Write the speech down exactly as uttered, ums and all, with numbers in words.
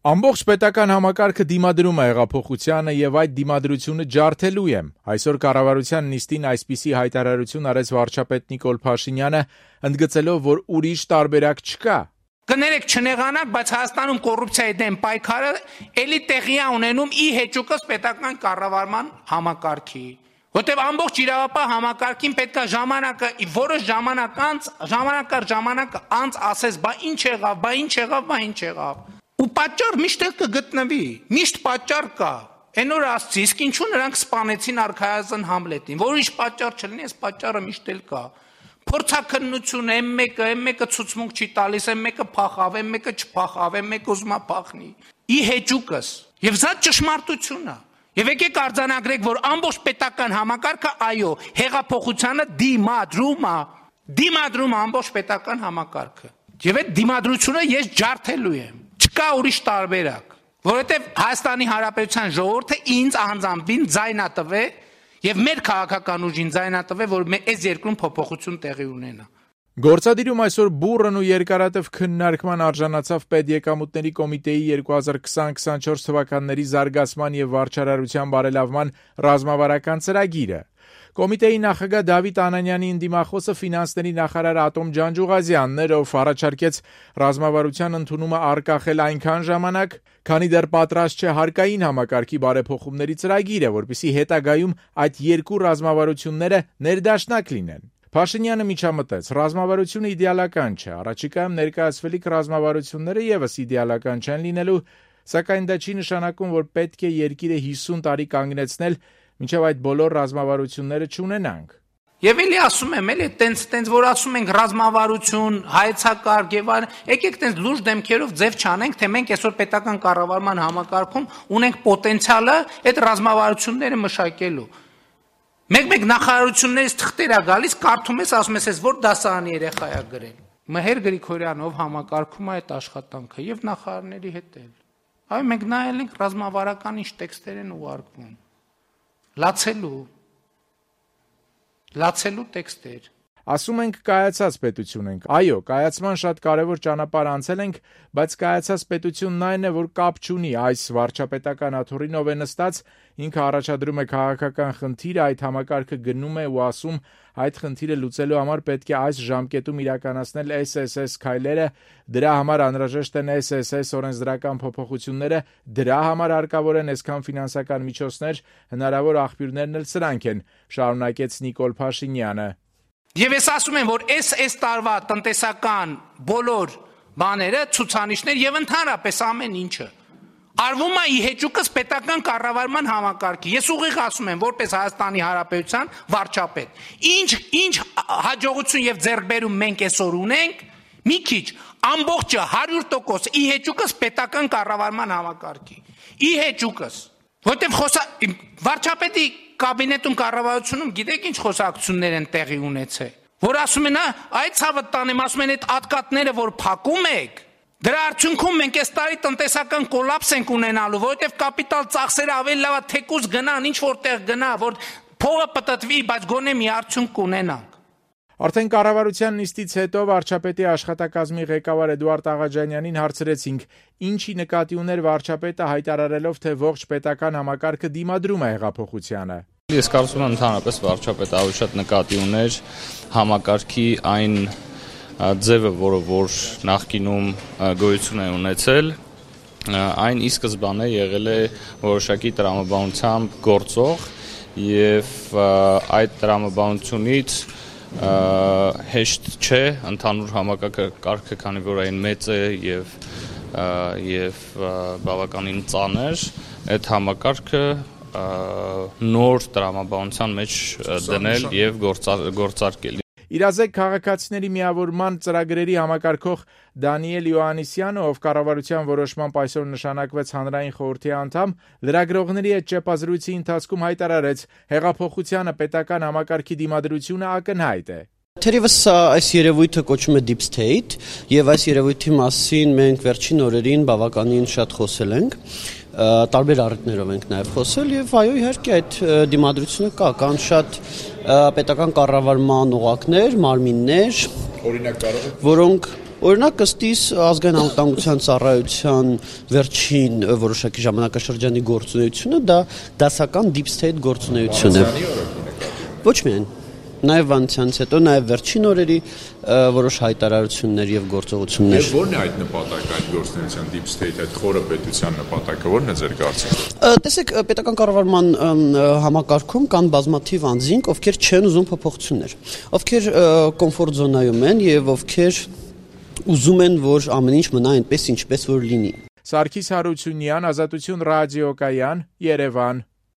Ամբողջ պետական համակարգը դիմադրում է հեղափոխությանը եւ այդ դիմադրությունը ջարդելու եմ։ Այսօր կառավարության նիստին այսպիսի հայտարարություն արեց վարչապետ Նիկոլ Փաշինյանը, ընդգծելով, որ ուրիշ տարբերակ չկա։ Կներեք չնեղանաք, բայց Հայաստանում կոռուպցիայի դեմ պայքարը էլի տեղի է ունենում ի հեճուկս պետական կառավարման համակարգի։ Որտեւ ամբողջ իրավապահ համակարգին պետքա ժամանակը որոշ ժամանակ անց, ժամանակ առ ժամանակ անց ասես, բա ինչ եղավ, բա ինչ եղավ, բա ինչ եղավ։ Ու պատճառ միշտ էլ կգտնվի, միշտ պատճառ կա։ Այն օր ասցի, իսկ ինչու նրանք սպանեցին արքայազն Համլետին, որ ինչ պատճառ չլինի, այս պատճառը միշտ էլ կա։ Փորձաքննություն, այն մեկը, այն մեկը ցուցմունք չի տալիս, այն մեկը փախավ, այն մեկը չփախավ, այն մեկը ուզում է փախնի։ Ի հեճուկս։ Եվ սա ճշմարտությունն է։ Եվ եկեք արձանագրեք, որ ամբողջ պետական համակարգը այո, հեղափոխությանը դիմադրում է, դիմադրում է ամբողջ պետական համակարգը։ Եվ այդ դիմադրությունը ես ջարդելու եմ։ Չկա ուրիշ տարբերակ, որովհետև Հայաստանի Հանրապետության ժողովուրդը ինձ անձամբին ձայնատվե եւ մեր քաղաքական ուժին ձայնատվե, որ այս երկրում փոփոխություն տեղի ունենա։ Գործադիրում այսօր բուռն ու երկարատև քննարկման արժանացավ Պետեկամուտների կոմիտեի երկու հազար քսան քսանչորս թվականների զարգացման եւ վարչարարության բարելավման ռազմավարական ծրագիրը։ Կոմիտեի նախագահ Դավիթ Անանյանի ընդդիմախոսը ֆինանսների նախարար Ատոմ Ջանջուղազյանն էր, ով առաջարկեց ռազմավարության ընդունումը արկախել այնքան ժամանակ, քանի դեռ պատրաստ չէ հարկային համակարգի բարեփոխումների ծրագիրը, որպեսզի հետագայում այդ երկու ռազմավարությունները ներդաշնակ լինեն։ Փաշինյանը միջամտեց. ռազմավարությունը իդեալական չէ, առաջիկայում ներկայացվելիք ռազմավարությունները եւս իդեալական չեն լինելու, սակայն դա չի նշանակում, որ պետք է երկիրը հիսուն տարի կանգնեցնել, մինչև այդ բոլոր ռազմավարությունները չունենանք։ Եվ էլի ասում եմ, էլի տենց տենց որ ասում ենք ռազմավարություն, հայեցակարգ եւ այլն, եկեք տենց լուրջ դեմքերով ձև չանենք, թե մենք այսօր պետական կառավարման համակարգում ունենք պոտենցիալը այդ ռազմավարությունները մշակելու։ Մեկ-մեկ նախարարություններից թղթեր է գալիս, կարդում ես, ասում ես, որ դասարանի երեխա է գրել։ Մհեր Գրիգորյանով համակարգում է այդ աշխատանքը եւ նախարարների հետ էլ։ Այո, մենք նայել ենք ռազմավարական ինչ տեքստեր են ուղարկվում։ Լացելու, լացելու տեքստեր։ Ասում ենք կայացած պետություն ենք։ Այո, կայացման շատ կարևոր ճանապարհ անցել ենք, բայց կայացած պետությունն այն է, որ կապ չունի այս վարչապետական աթոռին, ով է նստած, ինքը առաջադրում է քաղաքական խնդիր, այդ համակարգը գնում է ու ասում, այդ խնդիրը լուծելու համար պետք է այս ժամկետում իրականացնել էս էս էս քայլերը, դրա համար անհրաժեշտ են էս էս էս օրենսդրական փոփոխությունները, դրա համար հարկավոր են այսքան ֆինանսական միջոցներ, հնարավոր աղբյուրներն էլ սրանք են, շարունակեց Նիկոլ Փաշինյանը։ Եվ ես ասում եմ, որ այս այս տարվա տնտեսական բոլոր բաները, ցուցանիշներ եւ ընդհանրապես ամեն ինչը արվում է ի հեճուկս պետական կառավարման համակարգի։ Ես ուղիղ ասում եմ, որպես Հայաստանի Հանրապետության վարչապետ, ինչ ինչ հաջողություն եւ ձեռքբերում մենք այսօր ունենք, մի քիչ ամբողջը հարյուր տոկոս ի հեճուկս պետական կառավարման համակարգի։ Ի հեճուկս, որտեղ խոսա վարչապետի կաբինետում կառավարությունում գիտեք ինչ խոսակցություններ են տեղի ունեցել, որ ասում են, այդ ցավը տանեմ, ասում են այդ ատկատները, որ փակում եք, դրա արդյունքում մենք այս տարի տնտեսական կոլապս ենք ունենալու, որովհետև կապիտալ ծախսերը ավելի լավ է թեկուզ գնան, ինչ որտեղ գնա, որ փողը պտտվի, բայց գոնե մի արդյունք կունենանք։ Արդեն կառավարության նիստից հետո վարչապետի աշխատակազմի ղեկավար Էդուարդ Աղաջանյանին հարցրեցինք, ինչի նկատի ուներ վարչապետը հայտարարելով, թե ողջ պետական համակարգը դիմադրում է հեղափոխությանը։ Ես կարծում եմ ընդհանրապես վարչապետը ավելի շատ նկատի ուներ համակարգի այն ձևը, որը որ նախկինում գոյություն է ունեցել, այն ի սկզբանե եղել է որոշակի տրամաբանությամբ գործող եւ այդ տրամաբանությունից հեշտ չէ ընդհանուր համակարգը, քանի որ այն մեծ է եւ եւ բավականին ծանր, այդ համակարգը նոր տրամաբանության մեջ դնել եւ գործարկել։ Իրազեկ քաղաքացիների միավորման ծրագրերի համակարգող Դանիել Յոհաննիսյանը, ով կառավարության որոշմամբ այսօր նշանակվեց հանրային խորհրդի անդամ, լրագրողների հետ ճեպազրույցի ընթացքում հայտարարեց, հեղափոխությանը պետական համակարգի դիմադրությունը ակնհայտ է։ Թերևս այս երևույթը կոչվում է Deep State եւ այս երևույթի մասին մենք վերջին օրերին բավականին շատ խոսել ենք, տարբեր առիթներով ենք նաեւ խոսել եւ այո իհարկե այդ դիմադրությունը կա, կան շատ պետական կառավարման օղակներ, մարմիններ, օրինակ կարող եք, որոնք Օրինակ ըստ իս ազգային անվտանգության ծառայության վերջին որոշակի ժամանակաշրջանի գործունեությունը դա դասական deep state գործունեություն է։ Ոչ միայն Նաև Վանցյանից հետո, նաև վերջին օրերի որոշ հայտարարություններ եւ գործողություններ։ Եվ ո՞րն է այդ նպատակը, այդ գործունեության deep state, այդ խորը պետության նպատակը, ո՞րն է ձեր կարծիքով։ Տեսեք, պետական կառավարման համակարգում կան բազմաթիվ անձինք, ովքեր չեն ուզում փոփոխություններ, ովքեր կոմֆորտ զոնայում են եւ ովքեր ուզում են, որ ամեն ինչ մնա այնպես, ինչպես որ լինի։ Սարգիս Հարությունյան, Ազատություն ռադիոկայան, Երևան։